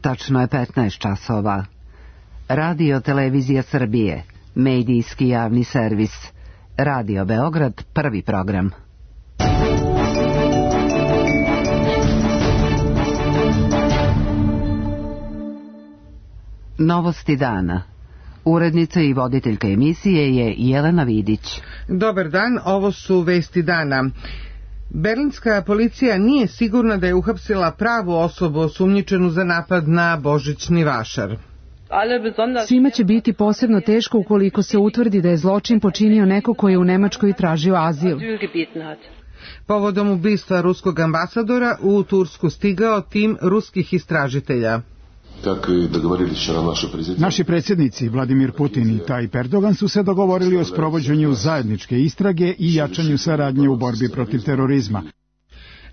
Tačno je 15 časova. Radio Televizija Srbije, medijski javni servis. Radio Beograd, prvi program. Novosti dana. Urednica i voditeljka emisije je Jelena Vidić. Dobar dan, ovo su vesti dana. Berlinska policija nije sigurna da je uhapsila pravu osobu osumnjičenu za napad na božićni vašar. Svima će biti posebno teško ukoliko se utvrdi da je zločin počinio neko ko je u Nemačkoj tražio azil. Povodom ubistva ruskog ambasadora u Tursku stigao tim ruskih istražitelja. Naši predsjednici Vladimir Putin i Tayyip Erdogan su se dogovorili o sprovođenju zajedničke istrage i jačanju saradnje u borbi protiv terorizma.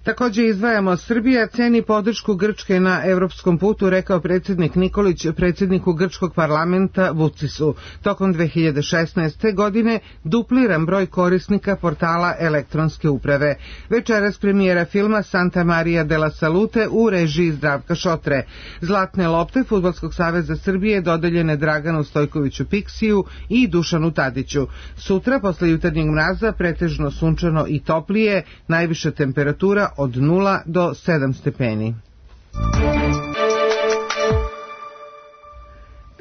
Također izdvajamo, Srbija ceni podršku Grčke na evropskom putu, rekao predsjednik Nikolić predsjedniku grčkog parlamenta Vučiću. Tokom 2016. godine dupliran broj korisnika portala elektronske uprave. Večeras premijera filma Santa Maria della Salute u režiji Zdravka Šotre. Zlatne lopte Fudbalskog saveza Srbije dodeljene Draganu Stojkoviću Piksiju i Dušanu Tadiću. Sutra, posle jutarnjeg mraza, pretežno sunčano i toplije, najviša temperatura od 0 do 7 stepeni.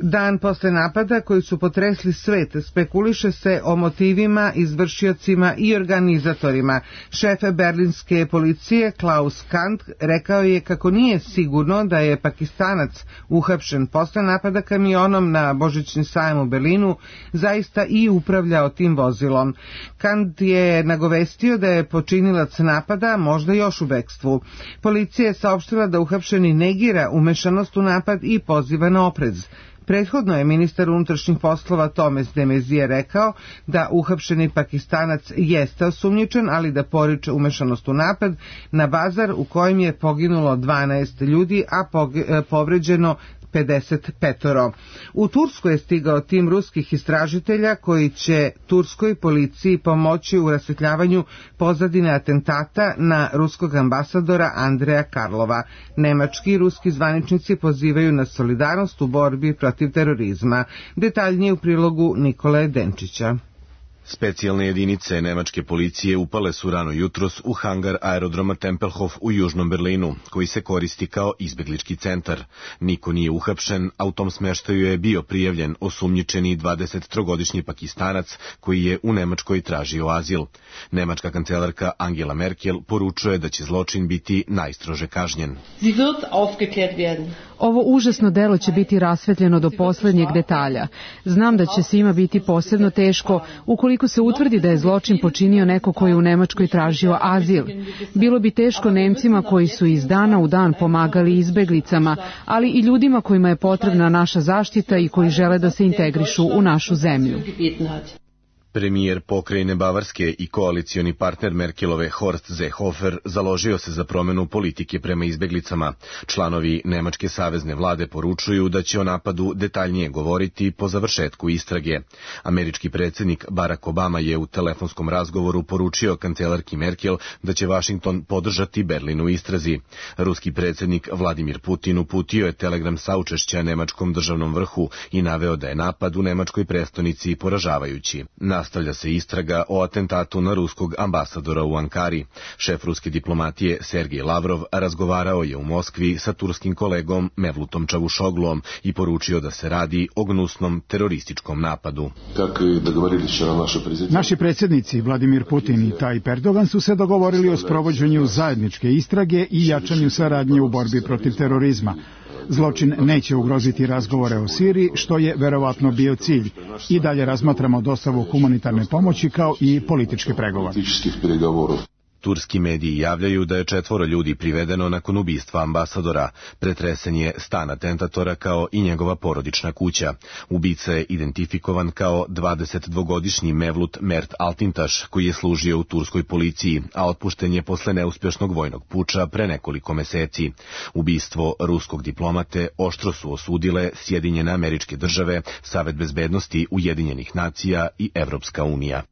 Dan posle napada koji su potresli svet, spekuliše se o motivima, izvršiocima i organizatorima. Šef berlinske policije Klaus Kant rekao je kako nije sigurno da je Pakistanac uhapšen posle napada kamionom na božićni sajam u Berlinu zaista i upravljao tim vozilom. Kant je nagovestio da je počinilac napada možda još u bekstvu. Policija je saopštila da uhapšeni negira umešanost u napad i poziva na oprez. Prethodno je ministar unutrašnjih poslova Tomes de Mezije rekao da uhapšeni Pakistanac jeste osumnjičen, ali da poriče umešanost u napad na bazar u kojem je poginulo 12 ljudi, a povređeno 55. U Tursku je stigao tim ruskih istražitelja koji će turskoj policiji pomoći u rasvetljavanju pozadine atentata na ruskog ambasadora Andreja Karlova. Nemački i ruski zvaničnici pozivaju na solidarnost u borbi protiv terorizma. Detaljnije u prilogu Nikole Denčića. Specijalne jedinice nemačke policije upale su rano jutros u hangar aerodroma Tempelhof u južnom Berlinu, koji se koristi kao izbeglički centar. Niko nije uhapšen, a u tom smeštaju je bio prijavljen osumnjičeni 23-godišnji Pakistanac koji je u Nemačkoj tražio azil. Nemačka kancelarka Angela Merkel poručuje da će zločin biti najstrože kažnjen. Ovo užasno delo će biti rasvetljeno do poslednjeg detalja. Znam da će svima biti posebno teško ukoliko se utvrdi da je zločin počinio neko koji je u Nemačkoj tražio azil. Bilo bi teško Nemcima koji su iz dana u dan pomagali izbeglicama, ali i ljudima kojima je potrebna naša zaštita i koji žele da se integrišu u našu zemlju. Premijer pokrajine Bavarske i koalicioni partner Merkelove Horst Seehofer založio se za promenu politike prema izbeglicama. Članovi nemačke savezne vlade poručuju da će o napadu detaljnije govoriti po završetku istrage. Američki predsjednik Barack Obama je u telefonskom razgovoru poručio kancelarki Merkel da će Washington podržati Berlin u istrazi. Ruski predsjednik Vladimir Putin uputio je telegram saučešća nemačkom državnom vrhu i naveo da je napad u nemačkoj prestonici poražavajući. Nastavlja se istraga o atentatu na ruskog ambasadora u Ankari. Šef ruske diplomatije Sergej Lavrov razgovarao je u Moskvi sa turskim kolegom Mevlutom Čavušoglom i poručio da se radi o gnusnom terorističkom napadu. Naši predsjednici Vladimir Putin i Tayyip Erdogan su se dogovorili o sprovođenju zajedničke istrage i jačanju saradnje u borbi protiv terorizma. Zločin neće ugroziti razgovore o Siriji, što je verovatno bio cilj. I dalje razmatramo dostavu humanitarne pomoći kao i političke pregovore. Turski mediji javljaju da je 4 ljudi privedeno nakon ubistva ambasadora. Pretresen je stan atentatora kao i njegova porodična kuća. Ubica je identifikovan kao 22-godišnji Mevlut Mert Altintaš, koji je služio u turskoj policiji, a otpušten je posle neuspješnog vojnog puča pre nekoliko meseci. Ubistvo ruskog diplomate oštro su osudile Sjedinjene Američke Države, Savet bezbednosti Ujedinjenih nacija i Evropska unija.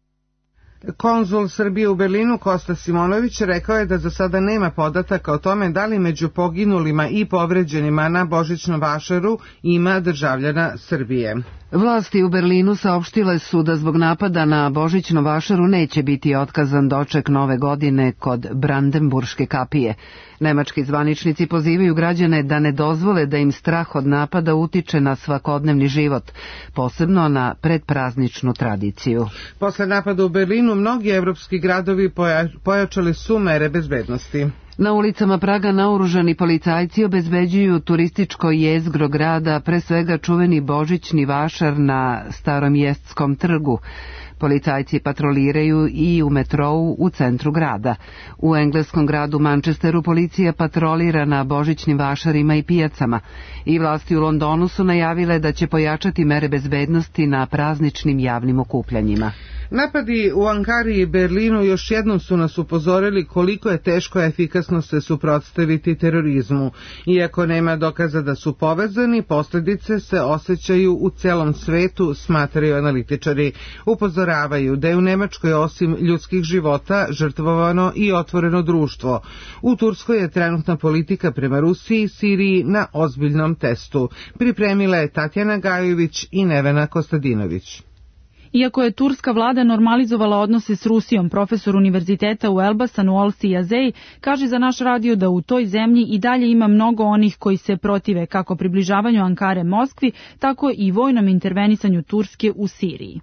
Konzul Srbije u Berlinu Kosta Simonović rekao je da za sada nema podataka o tome da li među poginulima i povređenima na Božićnom vašaru ima državljana Srbije. Vlasti u Berlinu saopštile su da zbog napada na Božićnom vašaru neće biti otkazan doček nove godine kod Brandenburške kapije. Nemački zvaničnici pozivaju građane da ne dozvole da im strah od napada utiče na svakodnevni život, posebno na predprazničnu tradiciju. Posle napada u Berlinu mnogi evropski gradovi pojačali su mere bezbednosti. Na ulicama Praga naoružani policajci obezbeđuju turističko jezgro grada, pre svega čuveni Božićni vašar na Starom Jestskom trgu. Policajci patroliraju i u metrou u centru grada. U engleskom gradu Manchesteru policija patrolira na božićnim vašarima i pijacama. I vlasti u Londonu su najavile da će pojačati mere bezbednosti na prazničnim javnim okupljanjima. Napadi u Ankari i Berlinu još jednom su nas upozorili koliko je teško efikasno se suprotstaviti terorizmu. Iako nema dokaza da su povezani, posljedice se osjećaju u celom svetu, smatraju analitičari. Upozoravaju da je u Nemačkoj osim ljudskih života žrtvovano i otvoreno društvo. U Turskoj je trenutna politika prema Rusiji i Siriji na ozbiljnom testu. Pripremila je Tatjana Gajović i Nevena Kostadinović. Iako je turska vlada normalizovala odnose s Rusijom, profesor univerziteta u Elbasanu Olsi Yazey kaže za naš radio da u toj zemlji i dalje ima mnogo onih koji se protive kako približavanju Ankare Moskvi, tako i vojnom intervenisanju Turske u Siriji.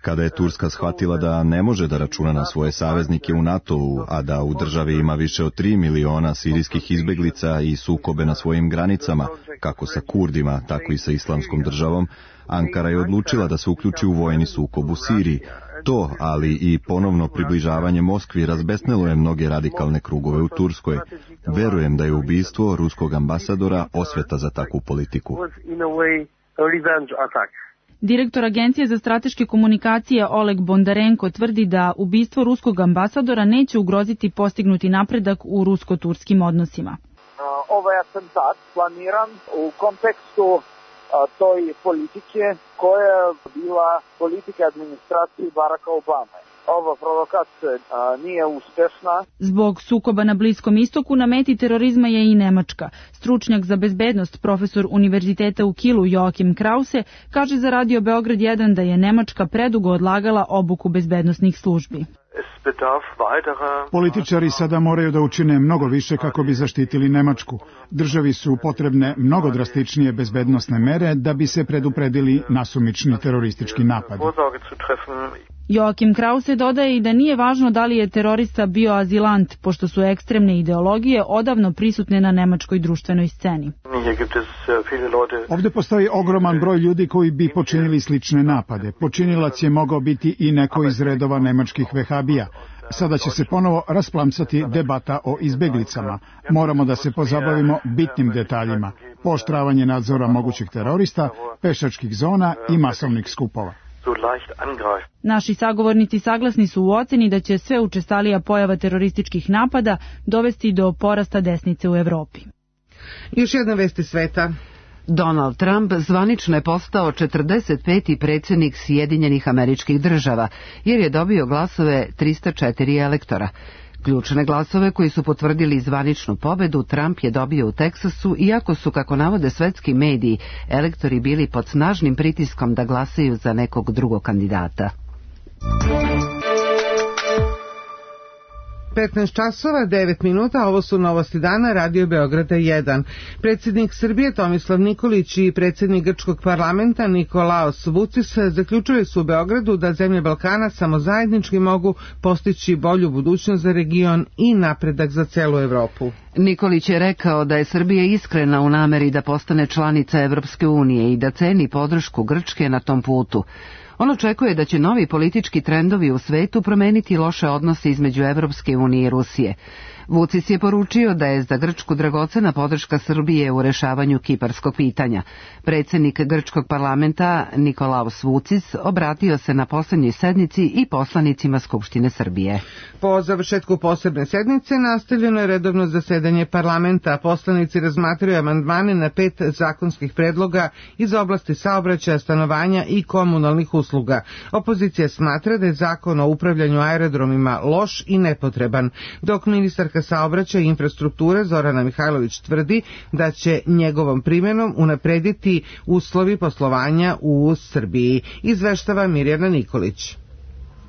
Kada je Turska shvatila da ne može da računa na svoje saveznike u NATO-u, a da u državi ima više od 3 miliona sirijskih izbeglica i sukobe na svojim granicama, kako sa Kurdima, tako i sa Islamskom državom, Ankara je odlučila da se uključi u vojni sukob u Siriji. To, ali i ponovno približavanje Moskvi razbesnelo je mnoge radikalne krugove u Turskoj. Verujem da je ubistvo ruskog ambasadora osveta za takvu politiku. Direktor Agencije za strateške komunikacije Oleg Bondarenko tvrdi da ubistvo ruskog ambasadora neće ugroziti postignuti napredak u rusko-turskim odnosima. Ovaj atentat planiran u kontekstu toj politike koja je bila politika administracije Baracka Obame. Ova provokacija nije uspešna. Zbog sukoba na Bliskom istoku na meti terorizma je i Nemačka. Stručnjak za bezbednost, profesor univerziteta u Kielu Joachim Krause, kaže za Radio Beograd 1 da je Nemačka predugo odlagala obuku bezbednosnih službi. Političari sada moraju da učine mnogo više kako bi zaštitili Nemačku. Državi su potrebne mnogo drastičnije bezbednosne mere da bi se predupredili nasumični teroristički napadi. Joachim Krause dodaje i da nije važno da li je terorista bio azilant, pošto su ekstremne ideologije odavno prisutne na nemačkoj društvenoj sceni. Ovdje postoji ogroman broj ljudi koji bi počinili slične napade. Počinilac je mogao biti i neko iz redova nemačkih vehabija. Sada će se ponovo rasplamsati debata o izbeglicama. Moramo da se pozabavimo bitnim detaljima. Pooštravanje nadzora mogućih terorista, pešačkih zona i masovnih skupova. Naši sagovornici saglasni su u oceni da će sve učestalija pojava terorističkih napada dovesti do porasta desnice u Evropi. Još jedna vest iz sveta. Donald Trump zvanično je postao 45. predsjednik Sjedinjenih Američkih Država, jer je dobio glasove 304 elektora. Ključne glasove koji su potvrdili zvaničnu pobedu Trump je dobio u Teksasu, iako su, kako navode svetski mediji, elektori bili pod snažnim pritiskom da glasaju za nekog drugog kandidata. 15 časova, 9 minuta, ovo su novosti dana, Radio Beograda 1. Predsjednik Srbije Tomislav Nikolić i predsjednik grčkog parlamenta Nikolaos Vucis zaključili su u Beogradu da zemlje Balkana samo zajednički mogu postići bolju budućnost za region i napredak za celu Evropu. Nikolić je rekao da je Srbija iskrena u nameri da postane članica Evropske unije i da ceni podršku Grčke na tom putu. On očekuje da će novi politički trendovi u svetu promeniti loše odnose između Evropske unije i Rusije. Vučić je poručio da je za Grčku dragocena podrška Srbije u rešavanju kiparskog pitanja. Predsjednik grčkog parlamenta Nikolaos Vučić obratio se na posljednjoj sednici i poslanicima Skupštine Srbije. Po završetku posebne sednice nastavljeno je redovno zasedanje parlamenta. Poslanici razmatraju amandmane na 5 zakonskih predloga iz oblasti saobraćaja, stanovanja i komunalnih usluga. usluga. Opozicija smatra da je zakon o upravljanju aerodromima loš i nepotreban, dok ministarka saobraćaja i infrastrukture Zorana Mihajlović tvrdi da će njegovom primjenom unaprediti uslovi poslovanja u Srbiji, izveštava Mirjana Nikolić.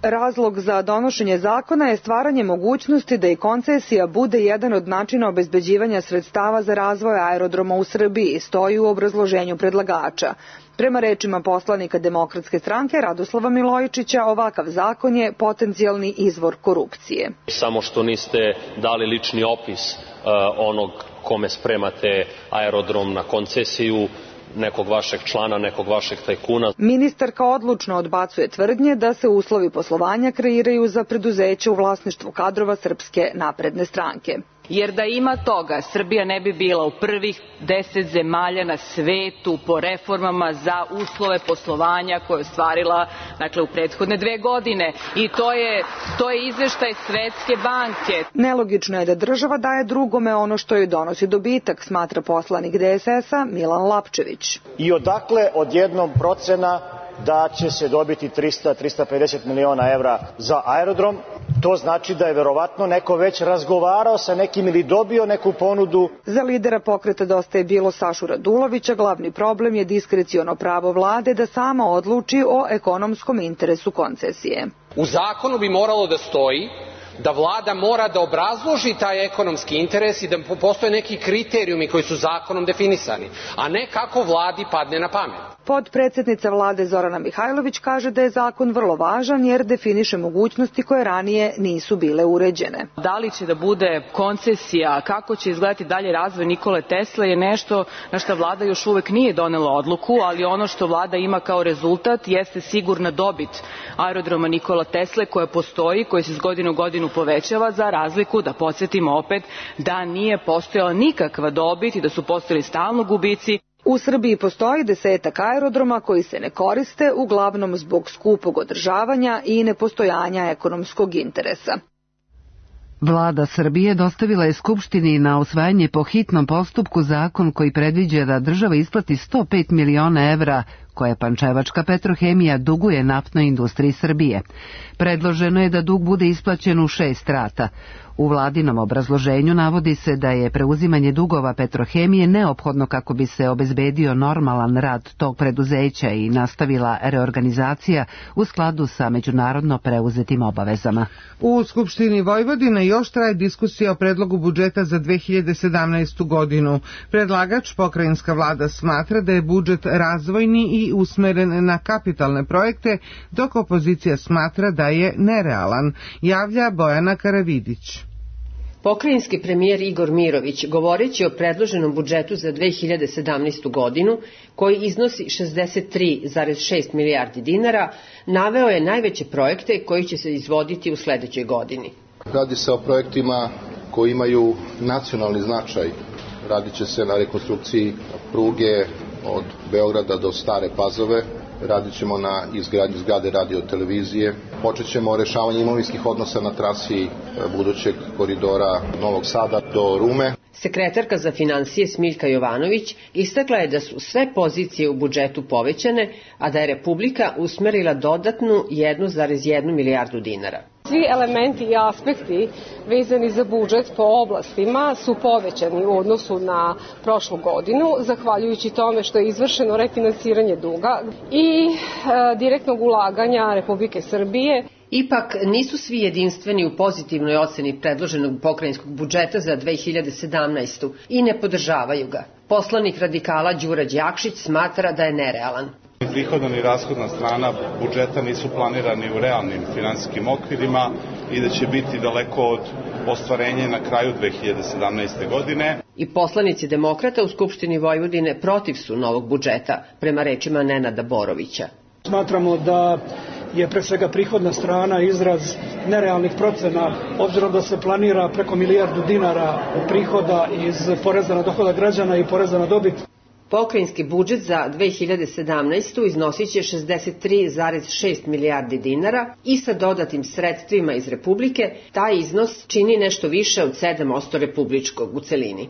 Razlog za donošenje zakona je stvaranje mogućnosti da i koncesija bude jedan od načina obezbeđivanja sredstava za razvoj aerodroma u Srbiji, stoji u obrazloženju predlagača. Prema rečima poslanika Demokratske stranke Radoslava Milojičića, ovakav zakon je potencijalni izvor korupcije. Samo što niste dali lični opis onog kome spremate aerodrom na koncesiju, nekog vašeg člana, nekog vašeg tajkuna. Ministarka odlučno odbacuje tvrdnje da se uslovi poslovanja kreiraju za preduzeće u vlasništvu kadrova Srpske napredne stranke. Jer da ima toga, Srbija ne bi bila u prvih 10 zemalja na svetu po reformama za uslove poslovanja koje je ostvarila u prethodne 2 godine. I to je izveštaj Svetske banke. Nelogično je da država daje drugome ono što joj donosi dobitak, smatra poslanik DSS-a Milan Lapčević. I odakle odjednom procena da će se dobiti 300-350 miliona evra za aerodrom? To znači da je verovatno neko već razgovarao sa nekim ili dobio neku ponudu. Za lidera pokreta Dosta je bilo Sašu Radulovića, glavni problem je diskreciono pravo vlade da sama odluči o ekonomskom interesu koncesije. U zakonu bi moralo da stoji da vlada mora da obrazloži taj ekonomski interes i da postoje neki kriterijumi koji su zakonom definisani, a ne kako vladi padne na pamet. Potpredsednica vlade Zorana Mihajlović kaže da je zakon vrlo važan jer definiše mogućnosti koje ranije nisu bile uređene. Da li će da bude koncesija, kako će izgledati dalje razvoj Nikole Tesle je nešto na što vlada još uvek nije donela odluku, ali ono što vlada ima kao rezultat jeste sigurna dobit aerodroma Nikola Tesle koja postoji, koja se iz godine u godinu povećava, za razliku, da podsjetimo opet, da nije postojala nikakva dobit i da su postojali stalno gubici. U Srbiji postoji 10 aerodroma koji se ne koriste, uglavnom zbog skupog održavanja i nepostojanja ekonomskog interesa. Vlada Srbije dostavila je Skupštini na usvajanje po hitnom postupku zakon koji predviđa da država isplati 105 miliona evra koje Pančevačka Petrohemija duguje naftnoj industriji Srbije. Predloženo je da dug bude isplaćen u 6 rata. U vladinom obrazloženju navodi se da je preuzimanje dugova Petrohemije neophodno kako bi se obezbedio normalan rad tog preduzeća i nastavila reorganizacija u skladu sa međunarodno preuzetim obavezama. U Skupštini Vojvodine još traje diskusija o predlogu budžeta za 2017. godinu. Predlagač, pokrajinska vlada, smatra da je budžet razvojni i usmeren na kapitalne projekte, dok opozicija smatra da je nerealan, javlja Bojana Karavidić. Pokrajinski premijer Igor Mirović, govoreći o predloženom budžetu za 2017. godinu, koji iznosi 63,6 milijardi dinara, naveo je najveće projekte koji će se izvoditi u sledećoj godini. Radi se o projektima koji imaju nacionalni značaj. Radit će se na rekonstrukciji pruge od Beograda do Stare Pazove, radit ćemo na izgradnji zgrade radio-televizije, počet ćemo rešavanje imovinskih odnosa na trasi budućeg koridora Novog Sada do Rume. Sekretarka za finansije Smiljka Jovanović istakla je da su sve pozicije u budžetu povećane, a da je Republika usmerila dodatnu 1,1 milijardu dinara. Svi elementi i aspekti vezani za budžet po oblastima su povećani u odnosu na prošlu godinu, zahvaljujući tome što je izvršeno refinansiranje duga i direktnog ulaganja Republike Srbije. Ipak nisu svi jedinstveni u pozitivnoj oceni predloženog pokrajinskog budžeta za 2017. i ne podržavaju ga. Poslanik radikala Đura Đakšić smatra da je nerealan. Ni prihodna ni rashodna strana budžeta nisu planirani u realnim finansijskim okvirima i da će biti daleko od ostvarenja na kraju 2017. godine. I poslanici demokrata u Skupštini Vojvodine protiv su novog budžeta, prema rečima Nenada Borovića. Smatramo da je pre svega prihodna strana izraz nerealnih procena, obzirom da se planira preko milijardu dinara prihoda iz poreza na dohodak građana i poreza na dobit. Pokrajinski budžet za 2017. iznosit će 63,6 milijardi dinara i sa dodatim sredstvima iz Republike taj iznos čini nešto više od 7% republičkog u celini.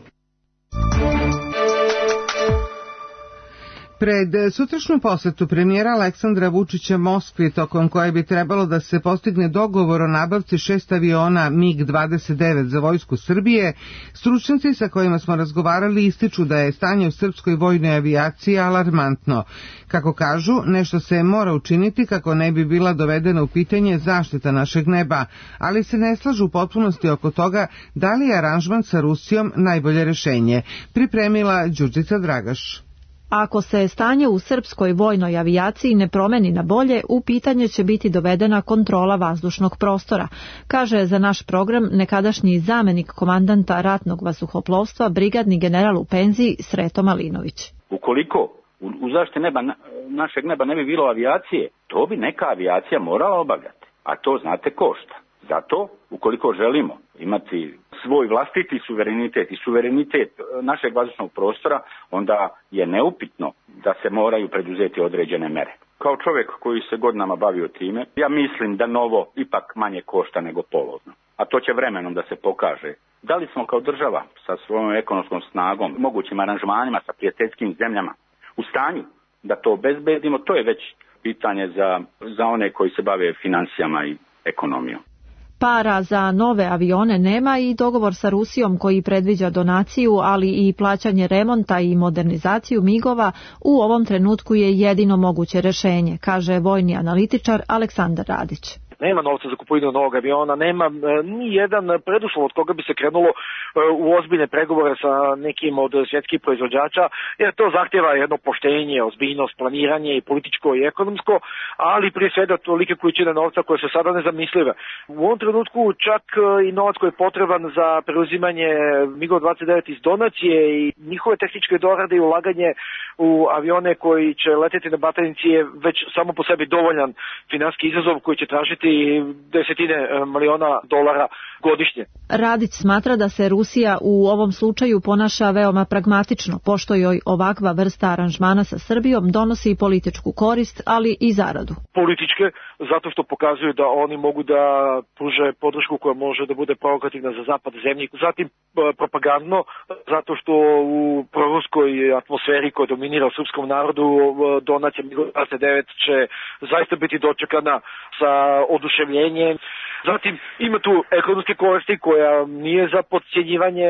Pred sutrašnju posetu premijera Aleksandra Vučića Moskvi, tokom koje bi trebalo da se postigne dogovor o nabavci 6 aviona MiG-29 za vojsku Srbije, stručnjaci sa kojima smo razgovarali ističu da je stanje u srpskoj vojnoj avijaciji alarmantno. Kako kažu, nešto se mora učiniti kako ne bi bila dovedena u pitanje zaštita našeg neba, ali se ne slažu u potpunosti oko toga da li je aranžman sa Rusijom najbolje rešenje. Pripremila Đurđica Dragaš. Ako se stanje u srpskoj vojnoj avijaciji ne promeni na bolje, u pitanje će biti dovedena kontrola vazdušnog prostora, kaže za naš program nekadašnji zamenik komandanta ratnog vazduhoplovstva, brigadni general u penziji Sreto Malinović. Ukoliko u zaštiti neba, našeg neba ne bi bilo avijacije, to bi neka avijacija morala obavljati, a to znate košta. Zato, ukoliko želimo imati svoj vlastiti suverenitet i suverenitet našeg vazdušnog prostora, onda je neupitno da se moraju preduzeti određene mere. Kao čovjek koji se godinama bavio time, ja mislim da novo ipak manje košta nego polovno. A to će vremenom da se pokaže. Da li smo kao država sa svojom ekonomskom snagom, mogućim aranžmanima sa prijateljskim zemljama u stanju da to obezbedimo, to je već pitanje za one koji se bave financijama i ekonomijom. Para za nove avione nema i dogovor sa Rusijom koji predviđa donaciju, ali i plaćanje remonta i modernizaciju MiG-ova u ovom trenutku je jedino moguće rešenje, kaže vojni analitičar Aleksandar Radić. Nema novca za kupovinu novog aviona, nema ni jedan preduslov od koga bi se krenulo u ozbiljne pregovore sa nekim od svjetskih proizvođača, jer to zahtjeva jedno poštenje, ozbiljnost, planiranje i političko i ekonomsko, ali prije svega tolike količine novca koje su sada nezamislive. U ovom trenutku čak i novac koji je potreban za preuzimanje MiG-29 iz donacije i njihove tehničke dorade i ulaganje u avione koji će leteti na batajnici je već samo po sebi dovoljan finansijski izazov koji će tražiti desetine miliona dolara godišnje. Radić smatra da se Rusija u ovom slučaju ponaša veoma pragmatično, pošto joj ovakva vrsta aranžmana sa Srbijom donosi političku korist, ali i zaradu. Političke, zato što pokazuju da oni mogu da pruže podršku koja može da bude provokativna za zapad zemlji. Zatim propagandno, zato što u proruskoj atmosferi koja dominira u srpskom narodu, donacija MiG-29 će zaista biti dočekana sa oduševljenjem. Zatim ima tu ekonomske koristi koja nije za podcjenjivanje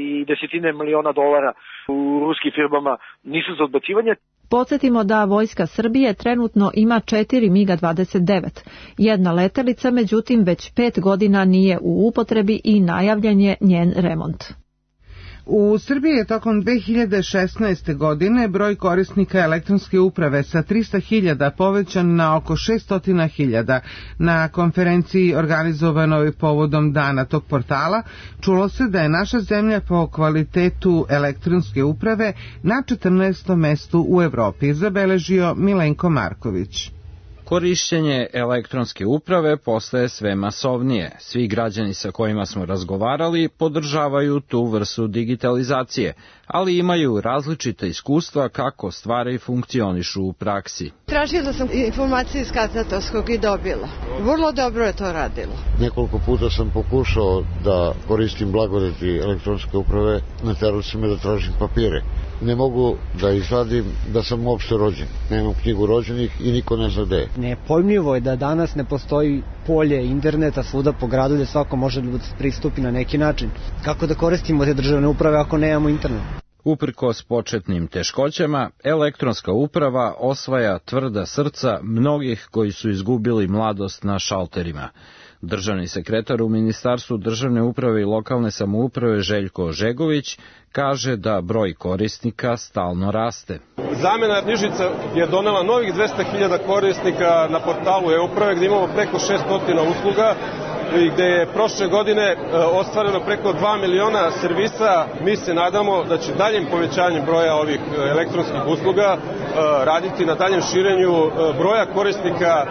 i desetine miliona dolara u ruskim firmama nisu za odbacivanje. Podsjetimo da vojska Srbije trenutno ima 4 MiG-29. Jedna letelica, međutim, već 5 godina nije u upotrebi i najavljen je njen remont. U Srbiji je tokom 2016. godine broj korisnika elektronske uprave sa 300.000 povećan na oko 600.000. Na konferenciji organizovanoj povodom dana tog portala čulo se da je naša zemlja po kvalitetu elektronske uprave na 14. mestu u Evropi, zabeležio Milenko Marković. Korišćenje elektronske uprave postaje sve masovnije. Svi građani sa kojima smo razgovarali podržavaju tu vrstu digitalizacije, ali imaju različita iskustva kako stvari funkcionišu u praksi. Tražila sam informacije iz katastarskog i dobila. Vrlo dobro je to radilo. Nekoliko puta sam pokušao da koristim blagodeti elektronske uprave, naterali su me da tražim papire. Ne mogu da izvadim da sam uopšte rođen. Nemam knjigu rođenih i niko ne zna gde je. Nepojmljivo je da danas ne postoji polje interneta svuda po gradu gde svako može da pristupi na neki način. Kako da koristimo te državne uprave ako nemamo internet? Uprkos početnim teškoćama, elektronska uprava osvaja tvrda srca mnogih koji su izgubili mladost na šalterima. Državni sekretar u Ministarstvu državne uprave i lokalne samouprave Željko Žegović kaže da broj korisnika stalno raste. Zamena knjižica je donela novih 200.000 korisnika na portalu e-uprave gdje imamo preko 600 usluga i gde je prošle godine ostvareno preko 2 miliona servisa. Mi se nadamo da će daljem povećanjem broja ovih elektronskih usluga raditi na daljem širenju broja korisnika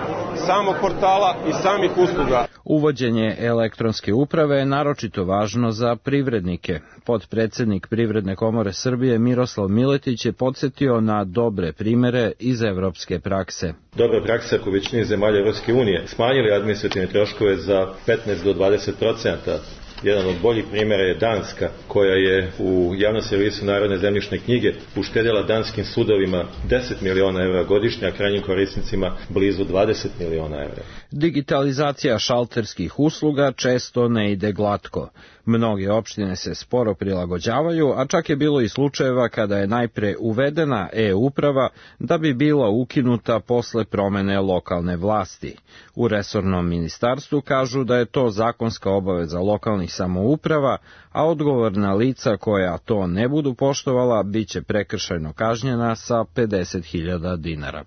samog portala i samih usluga. Uvođenje elektronske uprave je naročito važno za privrednike. Potpredsednik Privredne komore Srbije Miroslav Miletić je podsjetio na dobre primere iz evropske prakse. Dobra praksa u većini zemalja Evropske unije smanjili administrativne troškove za 15 do 20%, Jedan od boljih primjera je Danska, koja je u javnom servisu Narodne zemljišne knjige uštedjela danskim sudovima 10 miliona evra godišnje, a krajnjim korisnicima blizu 20 miliona evra. Digitalizacija šalterskih usluga često ne ide glatko. Mnoge opštine se sporo prilagođavaju, a čak je bilo i slučajeva kada je najpre uvedena e-uprava da bi bila ukinuta posle promene lokalne vlasti. U resornom ministarstvu kažu da je to zakonska obaveza lokalnih samouprava, a odgovorna lica koja to ne budu poštovala biće prekršajno kažnjena sa 50.000 dinara.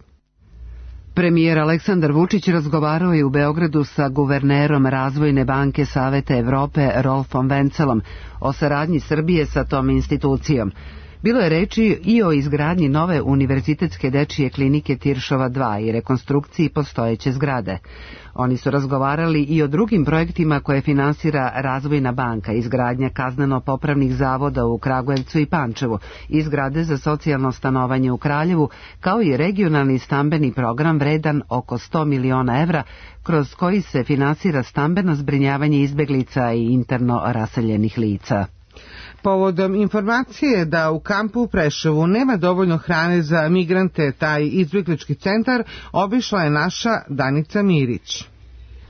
Premijer Aleksandar Vučić razgovarao je u Beogradu sa guvernerom Razvojne banke Saveta Evrope Rolfom Vencelom o saradnji Srbije sa tom institucijom. Bilo je reči i o izgradnji nove univerzitetske dečije klinike Tiršova 2 i rekonstrukciji postojeće zgrade. Oni su razgovarali i o drugim projektima koje finansira Razvojna banka, izgradnja kazneno-popravnih zavoda u Kragujevcu i Pančevu, izgrade za socijalno stanovanje u Kraljevu, kao i regionalni stambeni program vredan oko 100 miliona evra, kroz koji se finansira stambeno zbrinjavanje izbeglica i interno raseljenih lica. Povodom informacije da u kampu u Preševu nema dovoljno hrane za migrante, taj izbjeglički centar obišla je naša Danica Mirić.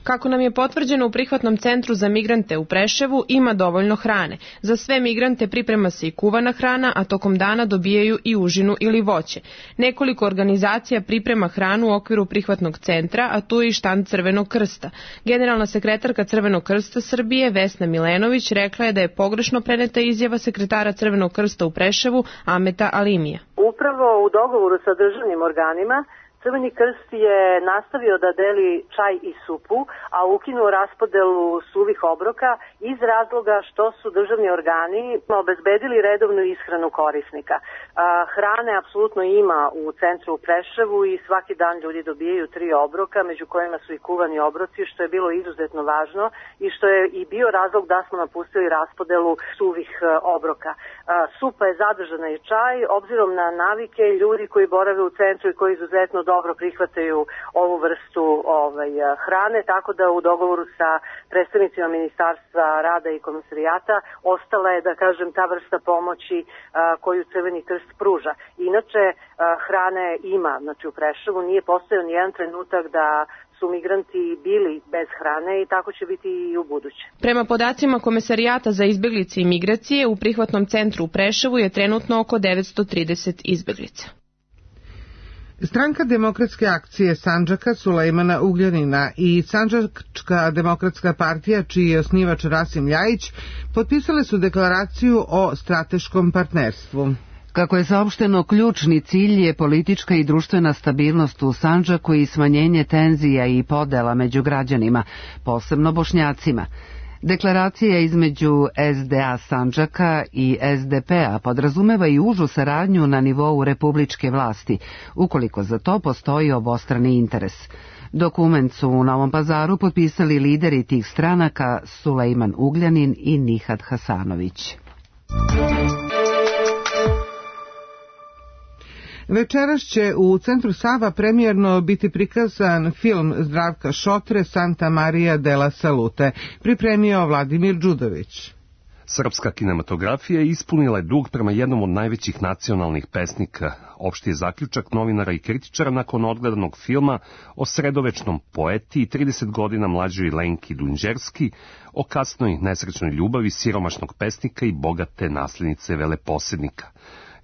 Kako nam je potvrđeno u prihvatnom centru za migrante u Preševu, ima dovoljno hrane. Za sve migrante priprema se i kuvana hrana, a tokom dana dobijaju i užinu ili voće. Nekoliko organizacija priprema hranu u okviru prihvatnog centra, a tu je i štand Crvenog krsta. Generalna sekretarka Crvenog krsta Srbije, Vesna Milenović, rekla je da je pogrešno preneta izjava sekretara Crvenog krsta u Preševu, Ameta Alimija. Upravo u dogovoru sa državnim organima, Crveni krst je nastavio da deli čaj i supu, a ukinuo raspodelu suvih obroka iz razloga što su državni organi obezbedili redovnu ishranu korisnika. Hrane apsolutno ima u centru u Preševu i svaki dan ljudi dobijaju 3 obroka, među kojima su i kuvani obroci, što je bilo izuzetno važno i što je i bio razlog da smo napustili raspodelu suvih obroka. Supa je zadržana i čaj, obzirom na navike ljudi koji borave u centru i koji izuzetno dobro prihvataju ovu vrstu hrane, tako da u dogovoru sa predstavnicima Ministarstva rada i komisarijata ostala je, da kažem, ta vrsta pomoći koju Crveni krst pruža. Inače, hrane ima, znači u Preševu nije postojao nijedan trenutak da su migranti bili bez hrane i tako će biti i u buduće. Prema podacima Komesarijata za izbeglice i migracije, u prihvatnom centru u Preševu je trenutno oko 930 izbeglica. Stranka demokratske akcije Sandžaka Sulejmana Ugljanina i Sandžačka demokratska partija, čiji je osnivač Rasim Ljajić, potpisale su deklaraciju o strateškom partnerstvu. Kako je saopšteno, ključni cilj je politička i društvena stabilnost u Sandžaku i smanjenje tenzija i podela među građanima, posebno Bošnjacima. Deklaracija između SDA Sandžaka i SDP-a podrazumeva i užu saradnju na nivou republičke vlasti, ukoliko za to postoji obostrani interes. Dokument su u Novom Pazaru potpisali lideri tih stranaka Sulejman Ugljanin i Nihad Hasanović. Večeras će u Centru Sava premijerno biti prikazan film Zdravka Šotre Santa Maria della Salute, pripremio Vladimir Đudović. Srpska kinematografija ispunila je dug prema jednom od najvećih nacionalnih pesnika. Opšti je zaključak novinara i kritičara nakon odgledanog filma o sredovečnom poeti i 30 godina mlađoj Lenki Dunđerski, o kasnoj nesrećnoj ljubavi siromašnog pesnika i bogate naslednice veleposednika.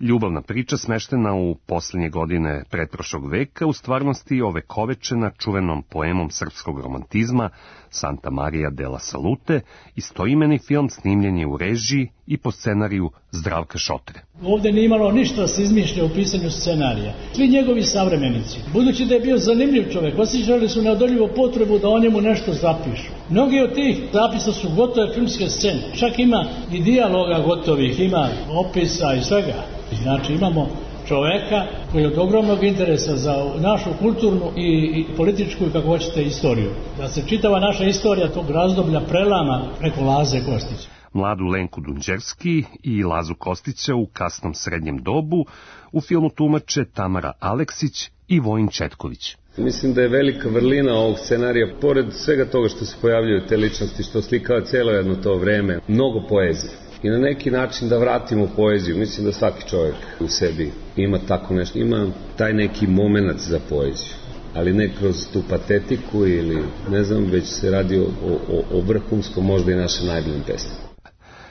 Ljubavna priča smeštena u posljednje godine pretprošlog veka u stvarnosti ovekovečena čuvenom poemom srpskog romantizma Santa Maria della Salute, istoimeni film snimljen je u režiji i po scenariju Zdravka Šotre. Ovdje nije imalo ništa da se izmišlja u pisanju scenarija. Svi njegovi savremenici, budući da je bio zanimljiv čovjek, osjećali su neodoljivu potrebu da o njemu nešto zapišu. Mnogi od tih zapisa su gotove filmske scene, čak ima i dijaloga gotovih, ima opisa i svega. Znači imamo čoveka koji je od ogromnog interesa za našu kulturnu i političku i kako hoćete istoriju. Da se čitava naša istorija tog razdoblja prelama preko Laze Kostića. Mladu Lenku Dunđerski i Lazu Kostića u kasnom srednjem dobu u filmu tumače Tamara Aleksić i Vojin Četković. Mislim da je velika vrlina ovog scenarija, pored svega toga što se pojavljuju te ličnosti, što slikava cijelo jedno to vreme, mnogo poezije. I na neki način da vratimo poeziju. Mislim da svaki čovjek u sebi ima tako nešto, ima taj neki momenat za poeziju. Ali ne kroz tu patetiku ili ne znam, već se radi o vrhunskom, možda i našem najboljim pesniku.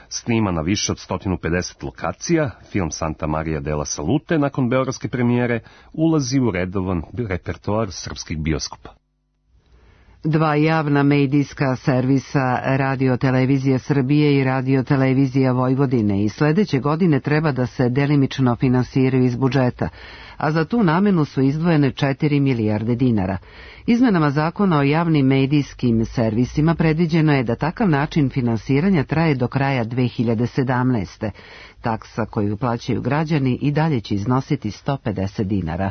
Snima na više od 150 lokacija, film Santa Maria della Salute nakon beogradske premijere ulazi u redovan repertoar srpskih bioskopa. Dva javna medijska servisa Radio Televizije Srbije i Radio Televizija Vojvodine i sledeće godine treba da se delimično finansiraju iz budžeta, a za tu namenu su izdvojene 4 milijarde dinara. Izmenama zakona o javnim medijskim servisima predviđeno je da takav način finansiranja traje do kraja 2017. Taksa koju plaćaju građani i dalje će iznositi 150 dinara.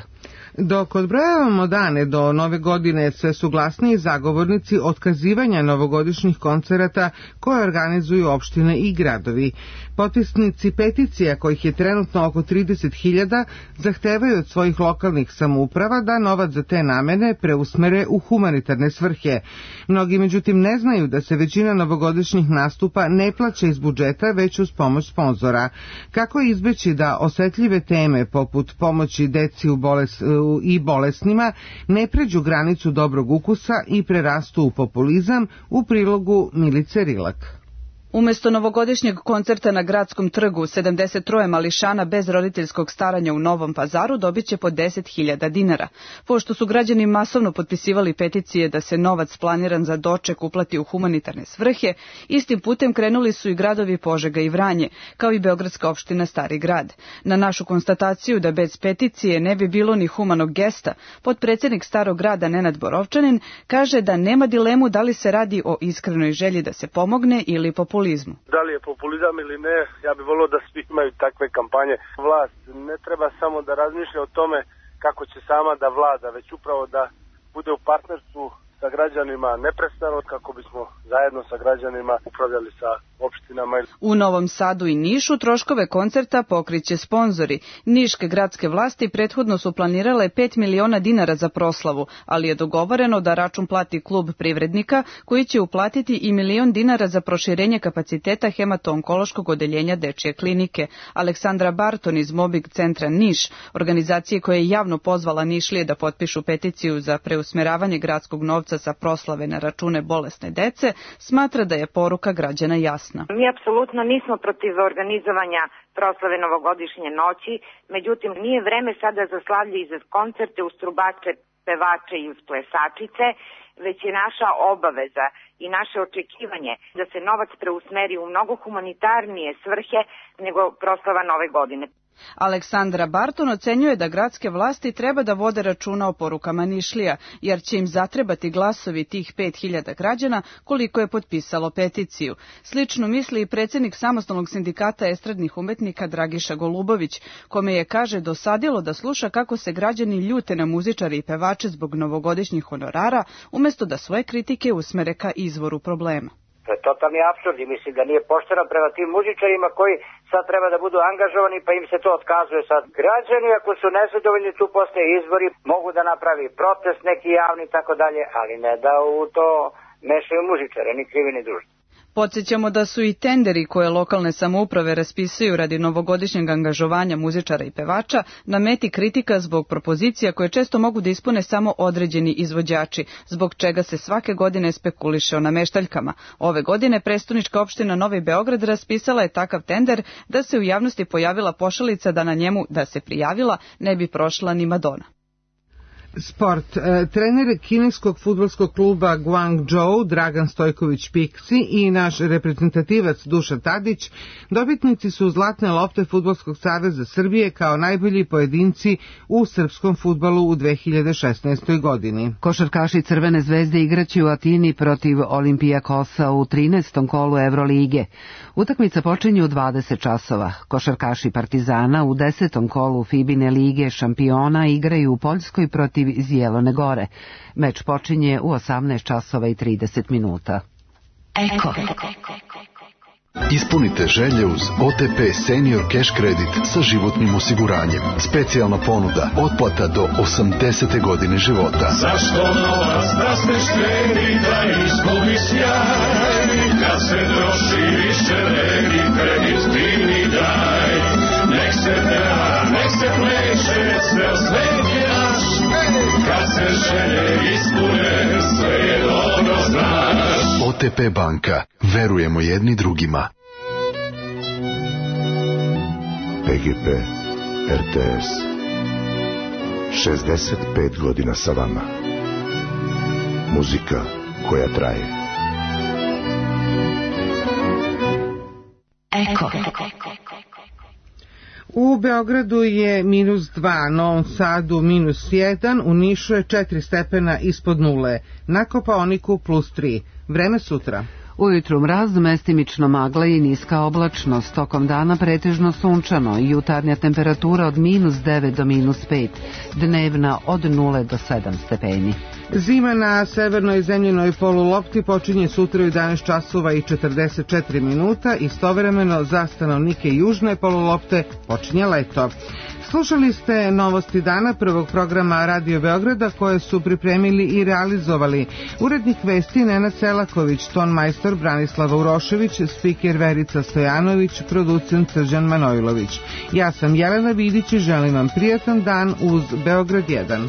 Dok odbrojavamo dane do nove godine, sve su glasniji zagovornici otkazivanja novogodišnjih koncerata koje organizuju opštine i gradovi. Potpisnici peticija, kojih je trenutno oko 30.000, zahtevaju od svojih lokalnih samouprava da novac za te namene preusmere u humanitarne svrhe. Mnogi međutim ne znaju da se većina novogodišnjih nastupa ne plaća iz budžeta, već uz pomoć sponzora. Kako izbeći da osetljive teme poput pomoći deci i bolesnima ne pređu granicu dobrog ukusa i prerastu u populizam, u prilogu Milice Rilak. Umesto novogodišnjeg koncerta na Gradskom trgu, 73 mališana bez roditeljskog staranja u Novom Pazaru dobit će po 10.000 dinara. Pošto su građani masovno potpisivali peticije da se novac planiran za doček uplati u humanitarne svrhe, istim putem krenuli su i gradovi Požega i Vranje, kao i beogradska opština Stari grad. Na našu konstataciju da bez peticije ne bi bilo ni humanog gesta, potpredsednik Starog grada Nenad Borovčanin kaže da nema dilemu da li se radi o iskrenoj želji da se pomogne ili populizmu. Da li je populizam ili ne, ja bih volio da svi imaju takve kampanje. Vlast ne treba samo da razmišlja o tome kako će sama da vlada, već upravo da bude u partnerstvu sa građanima neprestano, kako bismo zajedno sa građanima upravljali sa opštinama. U Novom Sadu i Nišu troškove koncerta pokriće sponzori. Niške gradske vlasti prethodno su planirale 5 miliona dinara za proslavu, ali je dogovoreno da račun plati klub privrednika, koji će uplatiti i 1 milion dinara za proširenje kapaciteta hemato-onkološkog odeljenja dečije klinike. Aleksandra Barton iz Mobbing centra Niš, organizacije koja je javno pozvala Nišlije da potpišu peticiju za preusmeravanje gradskog novca sa proslave na račune bolesne dece, smatra da je poruka građana jasna. Mi apsolutno nismo protiv organizovanja proslave novogodišnje noći, međutim nije vreme sada za slavlje i za koncerte uz trubače, pevače i uz plesačice, već je naša obaveza i naše očekivanje da se novac preusmeri u mnogo humanitarnije svrhe nego proslava nove godine. Aleksandra Barton ocenjuje da gradske vlasti treba da vode računa o porukama Nišlija, jer će im zatrebati glasovi tih 5.000 građana koliko je potpisalo peticiju. Slično misli i predsjednik Samostalnog sindikata estradnih umetnika Dragiša Golubović, kome je, kaže, dosadilo da sluša kako se građani ljute na muzičare i pevače zbog novogodišnjih honorara, umjesto da svoje kritike usmere ka izvoru problema. To je totalni apsurd i mislim da nije pošteno prema tim muzičarima koji sad treba da budu angažovani pa im se to otkazuje sad. Građani ako su nezadovoljni, tu postoje izbori, mogu da napravi protest neki javni i tako dalje, ali ne da u to mešaju muzičare, ni krivi ni dužni. Podsjećamo da su i tenderi koje lokalne samouprave raspisuju radi novogodišnjeg angažovanja muzičara i pevača na meti kritika zbog propozicija koje često mogu da ispune samo određeni izvođači, zbog čega se svake godine spekuliše o nameštaljkama. Ove godine prestonička opština Novi Beograd raspisala je takav tender da se u javnosti pojavila pošalica da na njemu, da se prijavila, ne bi prošla ni Madonna. Sport. Trener kineskog fudbalskog kluba Guangzhou Dragan Stojković Piksi i naš reprezentativac Dušan Tadić dobitnici su zlatne lopte Fudbalskog saveza Srbije kao najbolji pojedinci u srpskom fudbalu u 2016. godini. Košarkaši Crvene zvezde igraće u Atini protiv Olimpijakosa u 13. kolu Evrolige. Utakmica počinje u 20 časova. Košarkaši Partizana u 10. kolu Fibine lige šampiona igraju u Poljskoj protiv iz Jelone Gore. Meč počinje u 18 časova i 30 minuta. Eko. Ispunite želje uz OTP Senior Cash Credit sa životnim osiguranjem. Specijalna ponuda, otplata do 80. godine života. Zašto novac da se štedi, da izgubi sjaj, kad se troši više vredi, kredit divni daj. Nek se peva, nek se pleše, ceo svet je naš, kad se želje ispune, sve je dobro znaš. OTP banka, verujemo jedni drugima. PGP RTS 65 godina sa vama. Muzika koja traje. Eko. U Beogradu je -2, Novom Sadu -1, u Nišu je 4 stepena ispod nule, na Kopaoniku +3. Vreme sutra. Ujutru mraz, mestimično magla i niska oblačnost, tokom dana pretežno sunčano i jutarnja temperatura od -9 do -5, dnevna od 0 do 7 stepeni. Zima na severnoj zemljenoj polulopti počinje sutra u 11 časova i 44 minuta, istovremeno za stanovnike južne polulopte počinje leto. Slušali ste novosti dana prvog programa Radio Beograda koje su pripremili i realizovali urednik vesti Nenad Selaković, tonmajstor Branislava Urošević, spiker Verica Stojanović, producent Srđan Manojlović. Ja sam Jelena Vidić i želim vam prijatan dan uz Beograd 1.